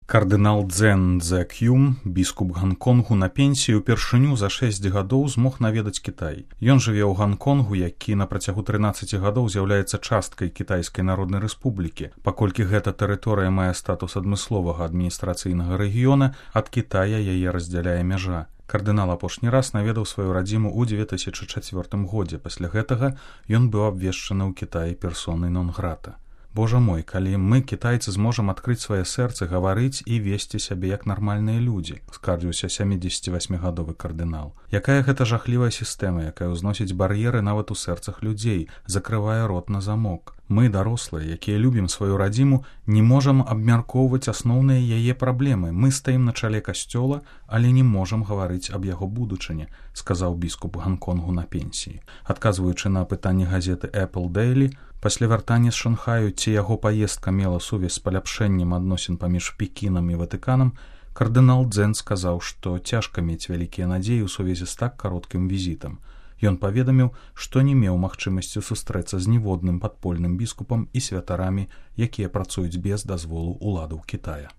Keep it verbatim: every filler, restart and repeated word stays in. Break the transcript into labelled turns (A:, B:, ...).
A: Кардынал Цзэн Цзэк'юм, біскуп Ганконгу на пенсіі, упершыню за шэсць гадоў змог наведаць Кітай. Ён жыве ў Ганконгу, які на працягу трынаццаці гадоў з'яўляецца часткай Кітайскай Народнай Рэспублікі. Паколькі гэта тэрыторыя мае статус адмысловага адміністрацыйнага рэгіёна, ад Кітая яе раздзяляе мяжа. Кардынал апошні раз наведаў сваю радзіму ў дзве тысячы чацвёртым годзе. Пасля гэтага ён быў абвешчаны ў Кітаі персонай нон-грата. Божа мой, калі мы, кітайцы, зможам адкрыць свае сэрцы, гаварыць і весці сябе як нармальныя людзі, скардзіўся сямідзесяцівасьмігадовы кардынал. Якая гэта жахлівая сістэма, якая ўзносіць бар'еры нават у сэрцах людзей, закрывае рот на замок. Мы, дарослыя, якія любім сваю радзіму, не можам абмяркоўваць асноўныя яе праблемы. Мы стаім на чале касцёла, але не можам гаварыць аб яго будучыні, сказаў біскуп Ганконгу на пенсіі. Адказваючы на пытанне газеты Apple Daily, пасля вяртання з Шанхаю, ці яго паездка мела сувязь з паляпшэннем адносін паміж Пекінам і Ватыканам, кардынал Цзэн сказаў, што цяжка мець вялікія надзеі ў сувязі з так кароткім візітам. Ён паведаміў, што не меў магчымасці сустрэцца з ніводным падпольным біскупам і святарамі, якія працуюць без дазволу ўладаў Кітая.